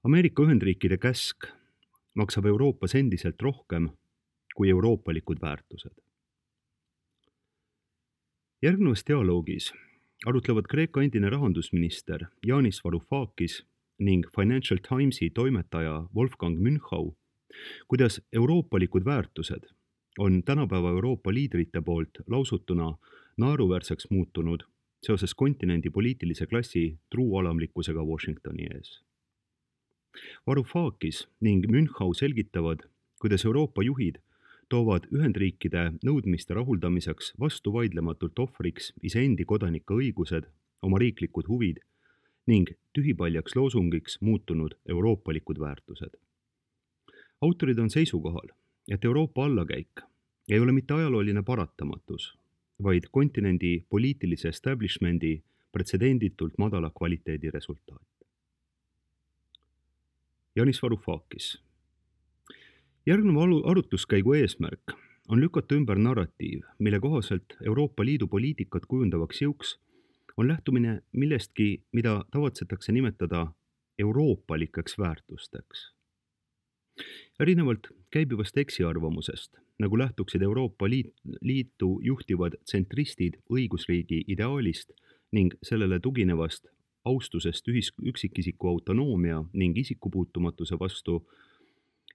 Ameerika Ühendriikide käsk maksab Euroopas endiselt rohkem kui euroopalikud väärtused. Järgnevas dialoogis arutlevad Kreeka endine rahandusminister Yanis Varoufakis ning Financial Timesi toimetaja Wolfgang Münchau, kuidas euroopalikud väärtused on tänapäeva Euroopa liidrite poolt lausutuna naeruväärseks muutunud seoses kontinendi poliitilise klassi truualamlikkusega Washingtoni ees. Varoufakis ning Münchau selgitavad, kuidas Euroopa juhid toovad Ühendriikide nõudmiste rahuldamiseks vastuvaidlematult ohvriks iseendi kodanike õigused, oma riiklikud huvid ning tühipaljaks loosungiks muutunud euroopalikud väärtused. Autorid on seisukohal, et Euroopa allakäik ei ole mitte ajalooline paratamatus, vaid kontinendi poliitilise establishmendi pretsedenditult madala kvaliteedi resultaat. Yanis Varoufakis. Järgneva arutluskäigu eesmärk on lükata ümber narratiiv, mille kohaselt Euroopa Liidu poliitikat kujundavaks jõuks on lähtumine millestki, mida tavatsetakse nimetada euroopalikeks väärtusteks. Erinevalt käibivast eksiarvamusest, nagu lähtuksid Euroopa Liitu juhtivad tsentristid õigusriigi ideaalist ning sellele tuginevast austusest üksikisiku autonoomia ning isikupuutumatuse vastu,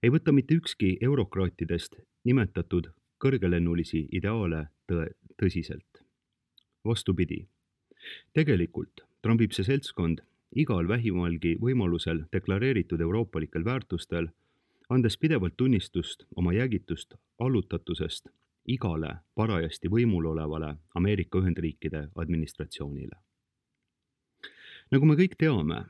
ei võta mitte ükski eurokraatidest nimetatud kõrgelennulisi ideaale tõsiselt. Vastupidi, tegelikult trambib see seltskond igal vähimalgi võimalusel deklareeritud euroopalikel väärtustel, andes pidevalt tunnistust oma jäägitust allutatusest igale parajasti võimul olevale Ameerika Ühendriikide administratsioonile. Nagu me kõik teame,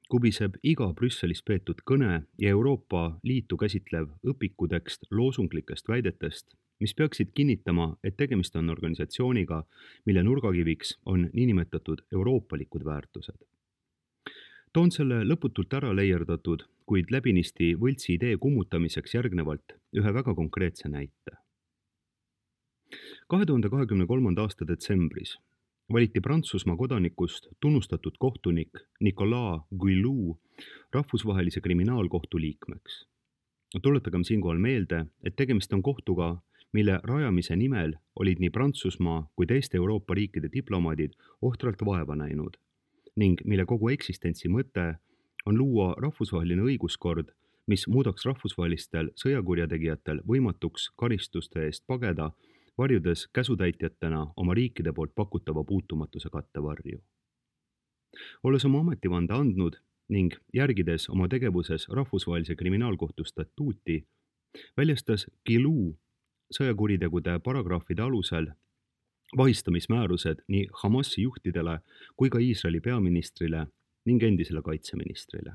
kubiseb iga Brüsselis peetud kõne ja Euroopa Liitu käsitlev õpikutekst loosunglikest väidetest, mis peaksid kinnitama, et tegemist on organisatsiooniga, mille nurgakiviks on niinimetatud euroopalikud väärtused. Toon selle lõputult ära leierdatud, kuid läbinisti võltsi idee kummutamiseks järgnevalt ühe väga konkreetse näite. 2023. aasta detsembris valiti Prantsusmaa kodanikust tunnustatud kohtunik Nicolas Guillou rahvusvahelise kriminaalkohtu liikmeks. Tuletagem siinkohal meelde, et tegemist on kohtuga, mille rajamise nimel olid nii Prantsusmaa kui teiste Euroopa riikide diplomaadid ohtralt vaeva näinud ning mille kogu eksistentsi mõte on luua rahvusvaheline õiguskord, mis muudaks rahvusvahelistel sõjakurjategijatel võimatuks karistuste eest pageda, varjudes käsutäitjatena oma riikide poolt pakutava puutumatuse kattevarju. Olles oma ametivande andnud ning järgides oma tegevuses rahvusvahelise kriminaalkohtu statuuti, väljastas Guillou sõjakuritegude paragrahvide alusel vahistamismäärused nii Hamasi juhtidele kui ka Iisraeli peaministrile ning endisele kaitseministrile.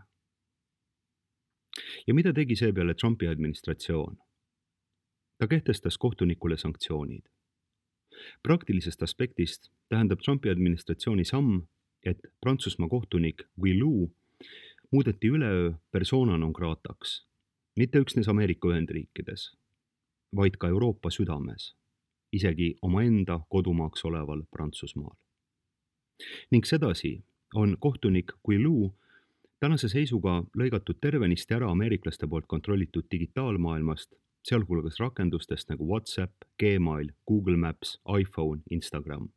Ja mida tegi seepeale Trumpi administratsioon? Ta kehtestas kohtunikule sanktsioonid. Praktilisest aspektist tähendab Trumpi administratsiooni samm, et Prantsusmaa kohtunik Guillou muudeti üleöö persona non grataks, mitte üksnes Ameerika Ühendriikides, vaid ka Euroopa südames, isegi omaenda kodumaaks oleval Prantsusmaal. Ning sedasi on kohtunik Guillou tänase seisuga lõigatud tervenisti ära ameeriklaste poolt kontrollitud digitaalmaailmast, sealhulgas rakendustest nagu WhatsApp, Gmail, Google Maps, iPhone, Instagram.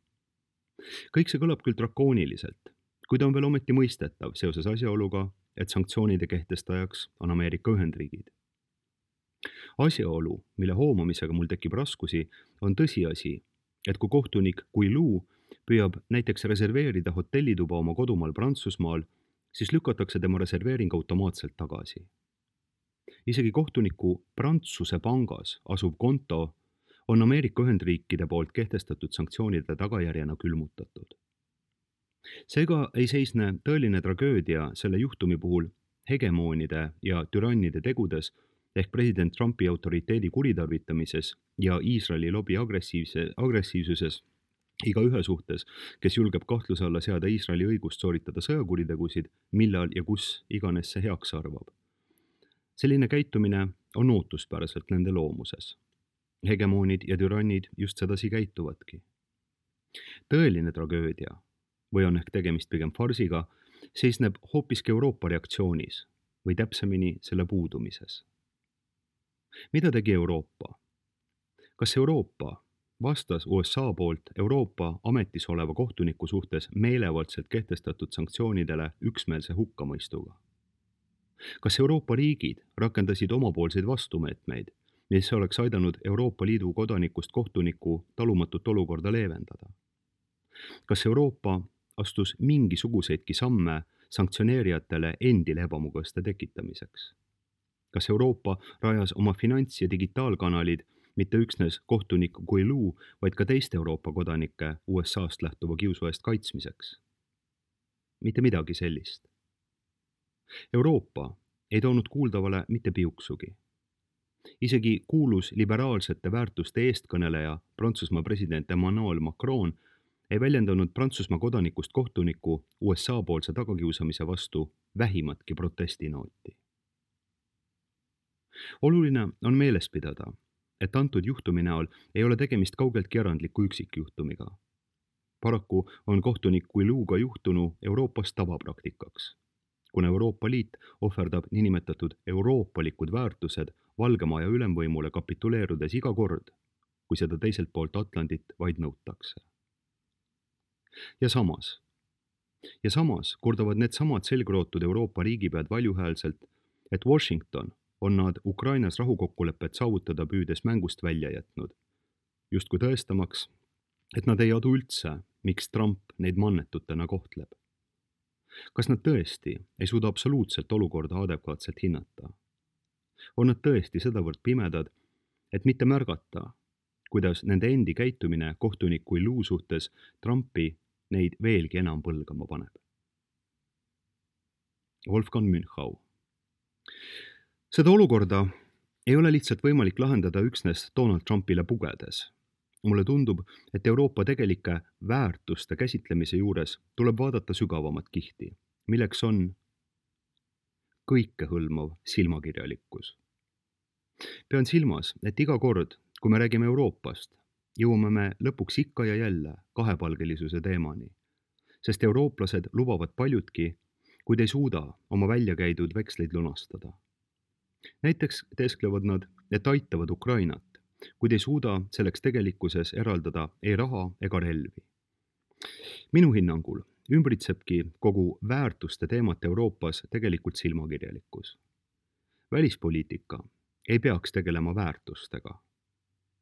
Kõik see kõlab küll drakooniliselt, kuid on veel ometi mõistetav seoses asjaoluga, et sanktsioonide kehtestajaks on Ameerika Ühendriigid. Asjaolu, mille hoomamisega mul tekib raskusi, on tõsiasi, et kui kohtunik Guillou püüab näiteks reserveerida hotellituba oma kodumaal Prantsusmaal, siis lükatakse tema reserveering automaatselt tagasi. Isegi kohtuniku Prantsuse pangas asuv konto on Ameerika Ühendriikide poolt kehtestatud sanktsioonide tagajärjena külmutatud. Seega ei seisne tõeline tragöödia selle juhtumi puhul hegemoonide ja türannide tegudes ehk president Trumpi autoriteedi kuritarvitamises ja Iisraeli lobi agressiivsuses igaühe suhtes, kes julgeb kahtluse alla seada Iisraeli õigust sooritada sõjakuritegusid, millal ja kus iganes see heaks arvab. Selline käitumine on ootuspäraselt nende loomuses. Hegemoonid ja türannid just sedasi käituvadki. Tõeline tragöödia, või on ehk tegemist pigem farsiga, seisneb hoopiski Euroopa reaktsioonis, või täpsemini selle puudumises. Mida tegi Euroopa? Kas Euroopa vastas USA poolt Euroopa ametis oleva kohtuniku suhtes meelevaldselt kehtestatud sanktsioonidele üksmeelse hukkamõistuga? Kas Euroopa riigid rakendasid omapoolseid vastumeetmeid, mis oleks aidanud Euroopa Liidu kodanikust kohtuniku talumatut olukorda leevendada? Kas Euroopa astus mingisuguseidki samme sanktsioneerijatele endile ebamugavuste tekitamiseks? Kas Euroopa rajas oma finants- ja digitaalkanalid mitte üksnes kohtunik Guilou, vaid ka teiste Euroopa kodanike USA-st lähtuva kiusu eest kaitsmiseks? Mitte midagi sellist. Euroopa ei toonud kuuldavale mitte piuksugi. Isegi kuulus liberaalsete väärtuste eestkõneleja Prantsusmaa president Emmanuel Macron ei väljendanud Prantsusmaa kodanikust kohtuniku USA poolse tagakiusamise vastu vähimatki protestinooti. Oluline on meeles pidada, et antud juhtumi näol ei ole tegemist kaugeltki erandliku üksikjuhtumiga. Paraku on kohtunik Guilouga juhtunu Euroopas tavapraktikaks, kuna Euroopa Liit ohverdab niinimetatud euroopalikud väärtused Valgemaja ülemvõimule kapituleerudes iga kord, kui seda teiselt poolt Atlandit vaid nõutakse. Ja samas kordavad needsamad selgrootud Euroopa riigipead valjuhäälselt, et Washington on nad Ukrainas rahukokkulepet saavutada püüdes mängust välja jätnud, justkui tõestamaks, et nad ei adu üldse, miks Trump neid mannetutena kohtleb. Kas nad tõesti ei suuda absoluutselt olukorda adekvaatselt hinnata? On nad tõesti sedavõrd pimedad, et mitte märgata, kuidas nende endi käitumine kohtunik Guilou suhtes Trumpi neid veelgi enam põlgama paneb? Wolfgang Münchau. Seda olukorda ei ole lihtsalt võimalik lahendada üksnes Donald Trumpile pugedes. Mulle tundub, et Euroopa tegelike väärtuste käsitlemise juures tuleb vaadata sügavamat kihti, milleks on kõikehõlmav silmakirjalikkus. Pean silmas, et iga kord, kui me räägime Euroopast, jõuame me lõpuks ikka ja jälle kahepalgelisuse teemani, sest eurooplased lubavad paljutki, kuid ei suuda oma välja käidud veksleid lunastada. Näiteks teesklevad nad, et aitavad Ukrainat, kuid ei suuda selleks tegelikkuses eraldada ei raha ega relvi. Minu hinnangul ümbritsebki kogu väärtuste teemat Euroopas tegelikult silmakirjalikkus. Välispoliitika ei peaks tegelema väärtustega.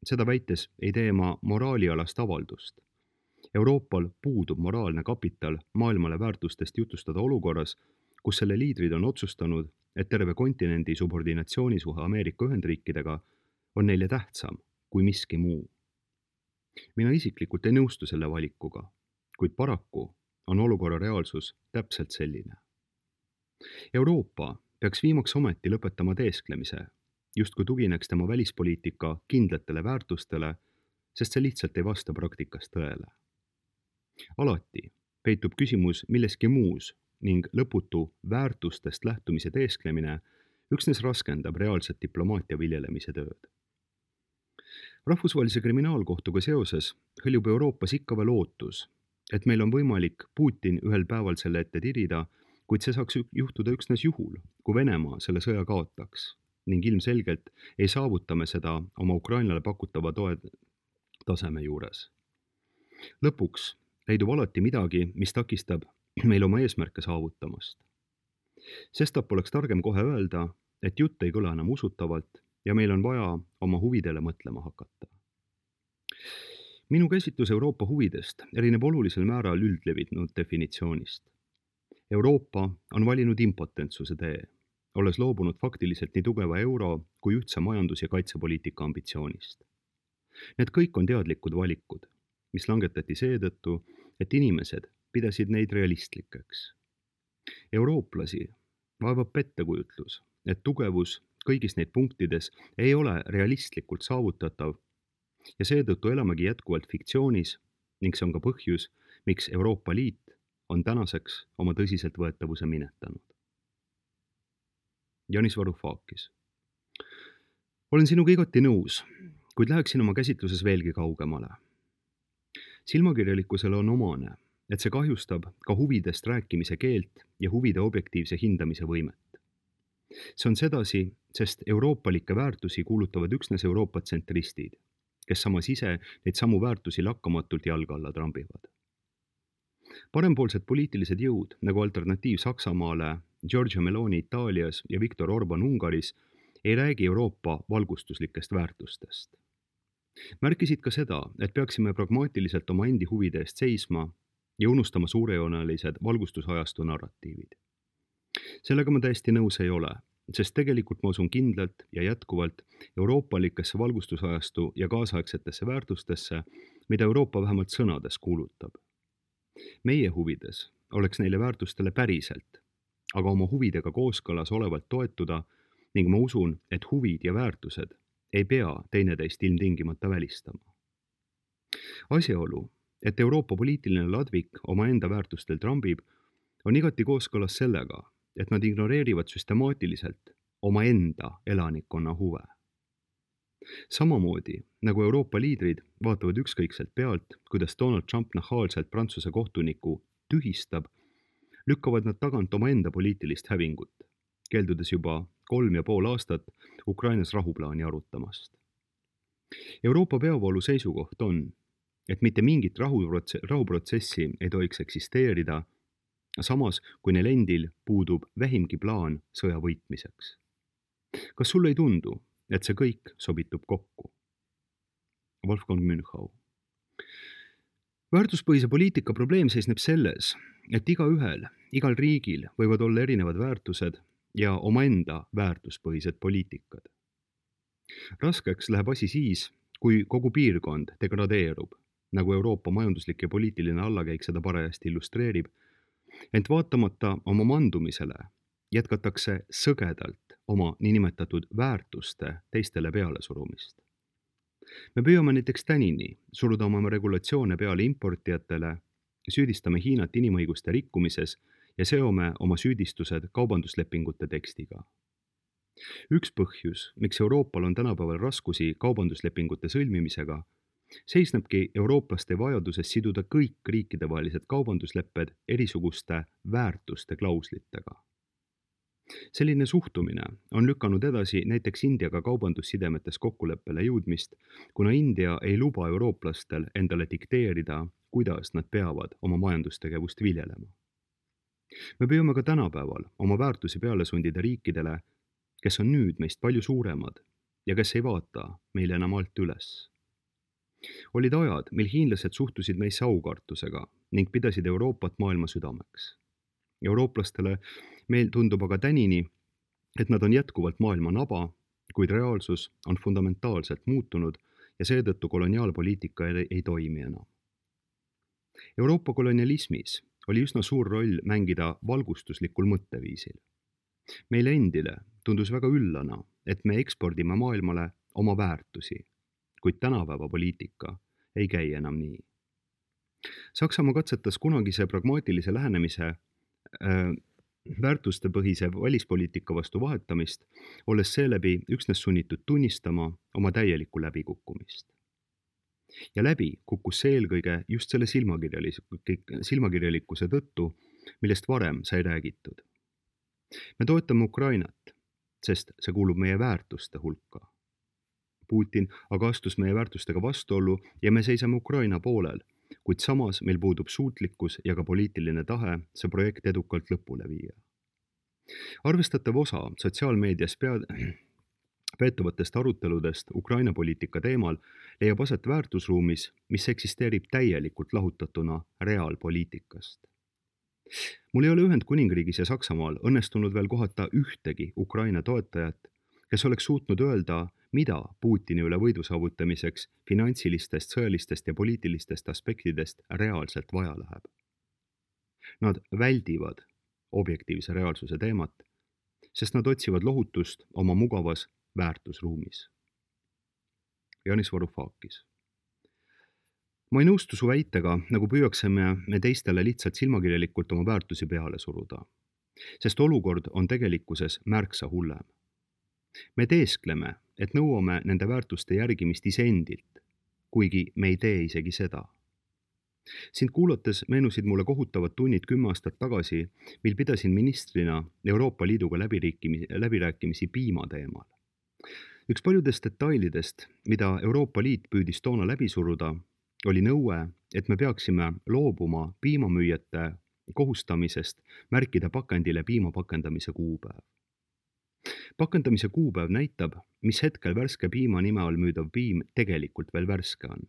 Seda väites ei tee ma moraalialast avaldust. Euroopal puudub moraalne kapital maailmale väärtustest jutustada olukorras, kus selle liidrid on otsustanud, et terve kontinendi subordinatsioonisuhe Ameerika Ühendriikidega on neile tähtsam kui miski muu. Mina isiklikult ei nõustu selle valikuga, kuid paraku on olukorra reaalsus täpselt selline. Euroopa peaks viimaks ometi lõpetama teesklemise, justkui tugineks tema välispoliitika kindlatele väärtustele, sest see lihtsalt ei vasta praktikas tõele. Alati peitub küsimus milleski muus ning lõputu väärtustest lähtumise teesklemine üksnes raskendab reaalset diplomaatia viljelemise tööd. Rahvusvahelise kriminaalkohtuga seoses hõljub Euroopas ikka veel ootus, et meil on võimalik Putin ühel päeval selle ette tirida, kuid see saaks juhtuda üksnes juhul, kui Venemaa selle sõja kaotaks ning ilmselgelt ei saavuta me seda oma Ukrainale pakutava toe taseme juures. Lõpuks leidub alati midagi, mis takistab meil oma eesmärke saavutamast. Sestap oleks targem kohe öelda, et jutt ei kõla enam usutavalt ja meil on vaja oma huvidele mõtlema hakata. Minu käsitlus Euroopa huvidest erineb olulisel määral üldlevinud definitsioonist. Euroopa on valinud impotentsuse tee, olles loobunud faktiliselt nii tugeva euro kui ühtse majandus- ja kaitsepoliitika ambitsioonist. Need kõik on teadlikud valikud, mis langetati seetõttu, et inimesed pidasid neid realistlikeks. Eurooplasi vaevab pettekujutlus, et tugevus kõigis neid punktides ei ole realistlikult saavutatav ja seetõttu elamegi jätkuvalt fiktsioonis ning see on ka põhjus, miks Euroopa Liit on tänaseks oma tõsiseltvõetavuse minetanud. Yanis Varoufakis. Olen sinuga igati nõus, kuid läheksin oma käsitluses veelgi kaugemale. Silmakirjalikkusele on omane, et see kahjustab ka huvidest rääkimise keelt ja huvide objektiivse hindamise võimet. See on sedasi, sest euroopalikke väärtusi kuulutavad üksnes Euroopa tsentristid, kes samas ise neid samu väärtusi lakkamatult jalge alla trambivad. Parempoolsed poliitilised jõud, nagu Alternatiiv Saksamaale, Giorgia Meloni Itaalias ja Viktor Orban Ungaris, ei räägi Euroopa valgustuslikest väärtustest. Märkisid ka seda, et peaksime pragmaatiliselt oma endi huvide eest seisma ja unustama suurejoonelised valgustusajastu narratiivid. Sellega ma täiesti nõus ei ole, sest tegelikult ma usun kindlalt ja jätkuvalt euroopalikesse valgustusajastu ja kaasaegsetesse väärtustesse, mida Euroopa vähemalt sõnades kuulutab. Meie huvides oleks neile väärtustele päriselt, aga oma huvidega kooskõlas olevalt toetuda ning ma usun, et huvid ja väärtused ei pea teineteist ilmtingimata välistama. Asjaolu, et Euroopa poliitiline ladvik omaenda väärtustel trambib, on igati kooskõlas sellega, et nad ignoreerivad süstemaatiliselt omaenda elanikkonna huve. Samamoodi, nagu Euroopa liidrid vaatavad ükskõikselt pealt, kuidas Donald Trump nahaalselt Prantsuse kohtuniku tühistab, lükkavad nad tagant omaenda poliitilist hävingut, keeldudes juba 3,5 aastat Ukrainas rahuplaani arutamast. Euroopa peavoolu seisukoht on, et mitte mingit rahuprotsessi ei tohiks eksisteerida, samas kui neil endil puudub vähimgi plaan sõja võitmiseks. Kas sulle ei tundu, et see kõik sobitub kokku? Wolfgang Münchau. Väärtuspõhise poliitika probleem seisneb selles, et igal riigil võivad olla erinevad väärtused ja omaenda väärtuspõhised poliitikad. Raskeks läheb asi siis, kui kogu piirkond degradeerub, nagu Euroopa majanduslik ja poliitiline allakäik seda parajasti illustreerib, ent vaatamata oma mandumisele jätkatakse sõgedalt oma niinimetatud väärtuste teistele peale surumist. Me püüame näiteks tänini suruda oma regulatsioone peale importijatele, süüdistame Hiinat inimõiguste rikkumises ja seome oma süüdistused kaubanduslepingute tekstiga. Üks põhjus, miks Euroopal on tänapäeval raskusi kaubanduslepingute sõlmimisega, seisnebki eurooplaste vajaduses siduda kõik riikidevahelised kaubanduslepped erisuguste väärtuste klauslitega. Selline suhtumine on lükanud edasi näiteks Indiaga kaubandussidemetes kokkuleppele jõudmist, kuna India ei luba eurooplastel endale dikteerida, kuidas nad peavad oma majandustegevust viljelema. Me püüame ka tänapäeval oma väärtusi peale sundida riikidele, kes on nüüd meist palju suuremad ja kes ei vaata meile enam alt üles. Olid ajad, mil hiinlased suhtusid meisse aukartusega ning pidasid Euroopat maailma südameks. Eurooplastele meil tundub aga tänini, et nad on jätkuvalt maailma naba, kuid reaalsus on fundamentaalselt muutunud ja seetõttu koloniaalpoliitika ei toimi enam. Euroopa kolonialismis oli üsna suur roll mängida valgustuslikul mõtteviisil. Meile endile tundus väga üllana, et me ekspordime maailmale oma väärtusi, kuid tänapäeva poliitika ei käi enam nii. Saksamaa katsetas kunagise pragmaatilise lähenemise väärtustepõhise välispoliitika vastu vahetamist, olles seeläbi üksnes sunnitud tunnistama oma täielikku läbikukkumist. Ja läbi kukkus see eelkõige just selle silmakirjalikkuse tõttu, millest varem sai räägitud. Me toetame Ukrainat, sest see kuulub meie väärtuste hulka. Putin aga astus meie väärtustega vastuollu ja me seisame Ukraina poolel, kuid samas meil puudub suutlikkus ja ka poliitiline tahe see projekt edukalt lõpule viia. Arvestatav osa sotsiaalmeedias peetavatest aruteludest Ukraina poliitika teemal leiab aset väärtusruumis, mis eksisteerib täielikult lahutatuna reaalpoliitikast. Mul ei ole Ühendkuningriigis ja Saksamaal õnnestunud veel kohata ühtegi Ukraina toetajat, kes oleks suutnud öelda, mida Putini üle võidu saavutamiseks finantsilistest, sõjalistest ja poliitilistest aspektidest reaalselt vaja läheb. Nad väldivad objektiivse reaalsuse teemat, sest nad otsivad lohutust oma mugavas väärtusruumis. Yanis Varoufakis. Ma ei nõustu su väitega, nagu püüaksime me teistele lihtsalt silmakirjalikult oma väärtusi peale suruda, sest olukord on tegelikkuses märksa hullem. Me teeskleme, et nõuame nende väärtuste järgimist iseendilt, kuigi me ei tee isegi seda. Sind kuulates meenusid mulle kohutavad tunnid 10 aastat tagasi, mil pidasin ministrina Euroopa Liiduga läbirääkimisi piima teemal. Üks paljudest detailidest, mida Euroopa Liit püüdis toona läbi suruda, oli nõue, et me peaksime loobuma piimamüüjate kohustamisest märkida pakendile piima pakendamise kuupäev. Pakendamise kuupäev näitab, mis hetkel värske piima nime all müüdav piim tegelikult veel värske on.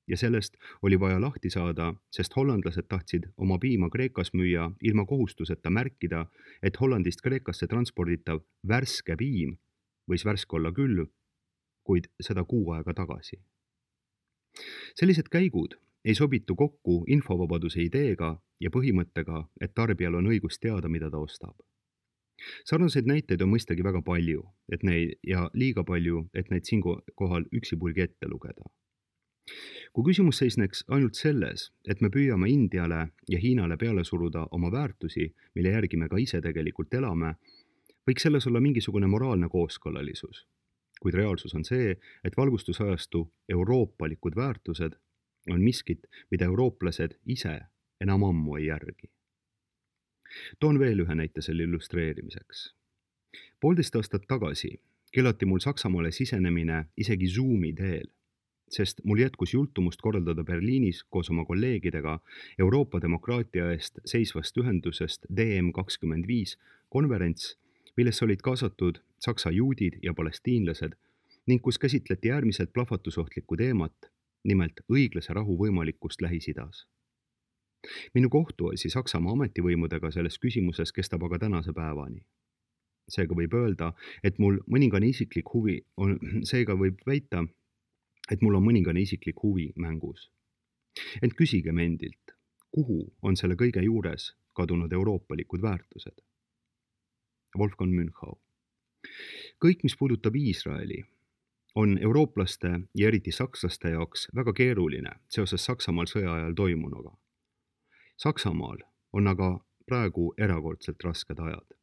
Ja sellest oli vaja lahti saada, sest hollandlased tahtsid oma piima Kreekas müüa ilma kohustuseta märkida, et Hollandist Kreekasse transporditav värske piim võis värske olla küll, kuid seda kuu aega tagasi. Sellised käigud ei sobitu kokku infovabaduse ideega ja põhimõttega, et tarbijal on õigus teada, mida ta ostab. Sarnaseid näiteid on mõistagi väga palju, ja liiga palju, et neid siinkohal üksipulgi ette lugeda. Kui küsimus seisneks ainult selles, et me püüame Indiale ja Hiinale peale suruda oma väärtusi, mille järgi me ka ise tegelikult elame, võiks selles olla mingisugune moraalne kooskõlalisus. Kuid reaalsus on see, et valgustusajastu euroopalikud väärtused on miskit, mida eurooplased ise enam ammu ei järgi. Toon veel ühe näite selle illustreerimiseks. 1,5 aastat tagasi keelati mul Saksamaale sisenemine isegi Zoomi teel, sest mul jätkus jultumust korraldada Berliinis koos oma kolleegidega Euroopa demokraatia eest seisvast ühendusest DM25 konverents, millesse olid kaasatud Saksa juudid ja palestiinlased ning kus käsitleti äärmiselt plahvatusohtlikku teemat, nimelt õiglase rahu võimalikkust Lähis-Idas. Minu kohtuasi Saksamaa ametivõimudega selles küsimuses kestab aga tänase päevani. Seega võib öelda, et mul mõningane isiklik huvi on, mõningane isiklik huvi mängus. Ent küsigem endilt, kuhu on selle kõige juures kadunud euroopalikud väärtused? Wolfgang Münchau. Kõik, mis puudutab Iisraeli, on eurooplaste ja eriti sakslaste jaoks väga keeruline seoses Saksamaal sõja ajal toimunuga. Saksamaal on aga praegu erakordselt rasked ajad.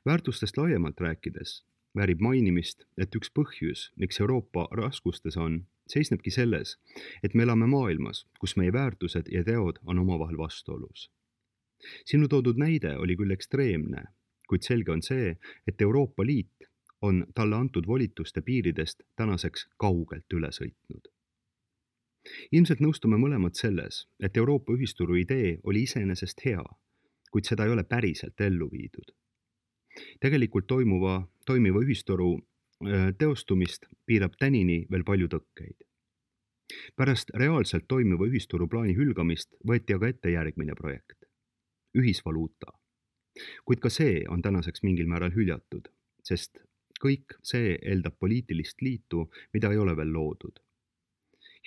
Väärtustest laiemalt rääkides väärib mainimist, et üks põhjus, miks Euroopa raskustes on, seisnebki selles, et me elame maailmas, kus meie väärtused ja teod on omavahel vastuolus. Sinu toodud näide oli küll ekstreemne, kuid selge on see, et Euroopa Liit on talle antud volituste piiridest tänaseks kaugelt üle sõitnud. Ilmselt nõustume mõlemad selles, et Euroopa ühisturu idee oli iseenesest hea, kuid seda ei ole päriselt ellu viidud. Tegelikult toimiva ühisturu teostumist piirab tänini veel palju tõkkeid. Pärast reaalselt toimiva ühisturu plaani hülgamist võeti aga ette järgmine projekt – ühisvaluuta. Kuid ka see on tänaseks mingil määral hüljatud, sest kõik see eeldab poliitilist liitu, mida ei ole veel loodud.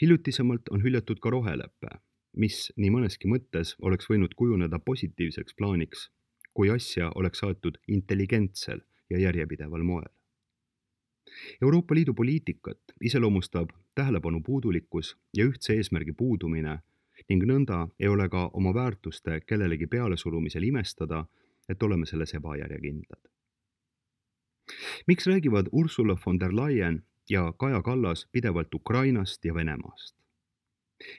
Hiljutisemalt on hüljatud ka roheleppe, mis nii mõneski mõttes oleks võinud kujuneda positiivseks plaaniks, kui asja oleks aetud intelligentsel ja järjepideval moel. Euroopa Liidu poliitikat iseloomustab tähelepanu puudulikkus ja ühtse eesmärgi puudumine ning nõnda ei ole ka oma väärtuste kellelegi pealesurumisel imestada, et oleme selles ebajärjekindlad. Miks räägivad Ursula von der Leyen ja Kaja Kallas pidevalt Ukrainast ja Venemaast?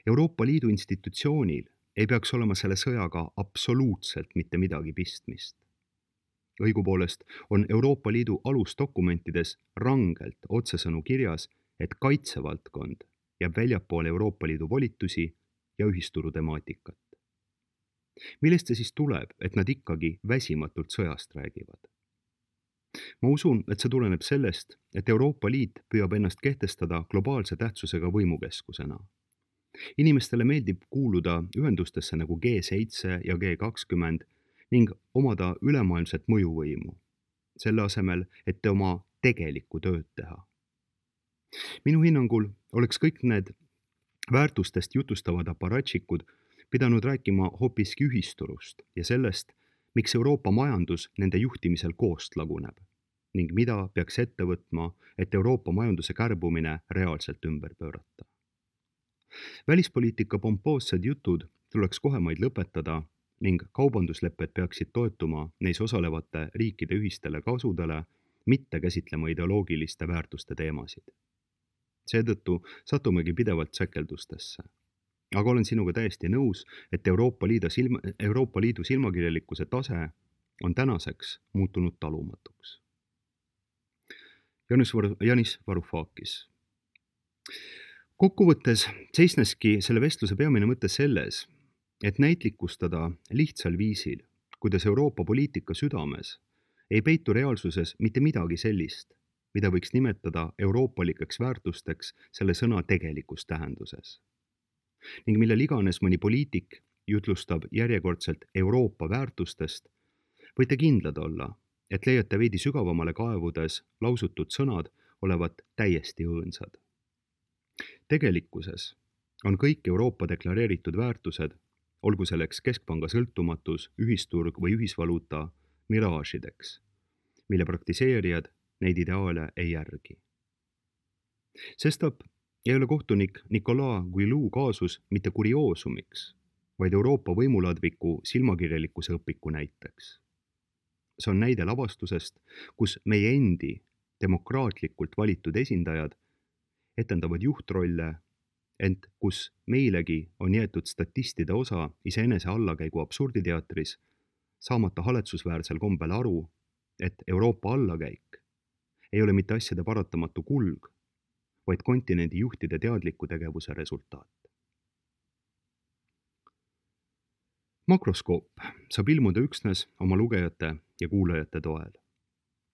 Euroopa Liidu institutsioonil ei peaks olema selle sõjaga absoluutselt mitte midagi pistmist. Õigupoolest on Euroopa Liidu alusdokumentides rangelt otsesõnu kirjas, et kaitsevaldkond jääb väljapoole Euroopa Liidu volitusi ja ühisturu temaatikat. Millest see siis tuleb, et nad ikkagi väsimatult sõjast räägivad? Ma usun, et see tuleneb sellest, et Euroopa Liit püüab ennast kehtestada globaalse tähtsusega võimukeskusena. Inimestele meeldib kuuluda ühendustesse nagu G7 ja G20 ning omada ülemaailmset mõjuvõimu, selle asemel, et oma tegelikku tööd teha. Minu hinnangul oleks kõik need väärtustest jutustavad aparatšikud pidanud rääkima hoopiski ühisturust ja sellest, miks Euroopa majandus nende juhtimisel koost laguneb ning mida peaks ette võtma, et Euroopa majanduse kärbumine reaalselt ümber pöörata. Välispoliitika pompoossed jutud tuleks kohemaid lõpetada ning kaubanduslepped peaksid toetuma neis osalevate riikide ühistele kasudele, mitte käsitlema ideoloogiliste väärtuste teemasid. Seetõttu satumegi pidevalt säkeldustesse. aga olen sinuga täiesti nõus, et Euroopa Liidu silmakirjalikkuse tase on tänaseks muutunud talumatuks. Yanis Varoufakis. Kokkuvõttes seisneski selle vestluse peamine mõte selles, et näitlikustada lihtsal viisil, kuidas Euroopa poliitika südames ei peitu reaalsuses mitte midagi sellist, mida võiks nimetada euroopalikeks väärtusteks selle sõna tegelikus tähenduses. Ning millel iganes mõni poliitik jutlustab järjekordselt Euroopa väärtustest, võite kindlad olla, et leiate veidi sügavamale kaevudes lausutud sõnad olevat täiesti õõnsad. Tegelikkuses on kõik Euroopa deklareeritud väärtused, olgu selleks keskpanga sõltumatus, ühisturg või ühisvaluuta, miraažideks, mille praktiseerijad neid ideaale ei järgi. Sestap ei ole kohtunik Nicolas Guillou kaasus mitte kurioosumiks, vaid Euroopa võimuladviku silmakirjalikkuse õpiku näiteks. See on näide lavastusest, kus meie endi demokraatlikult valitud esindajad etendavad juhtrolle, ent kus meilegi on jäetud statistide osa iseenese allakäigu absurditeatris, saamata haletsusväärsel kombel aru, et Euroopa allakäik ei ole mitte asjade paratamatu kulg, vaid kontinendi juhtide teadliku tegevuse resultaat. Makroskoop saab ilmuda üksnes oma lugejate ja kuulajate toel.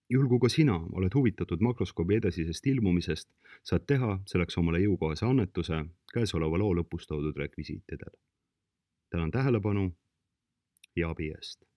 Juhul kui ka sina oled huvitatud makroskoobi edasisest ilmumisest, saad teha selleks omale jõukohase annetuse käesoleva loo lõpus toodud rekvisiitidel. Tänan tähelepanu ja abi eest.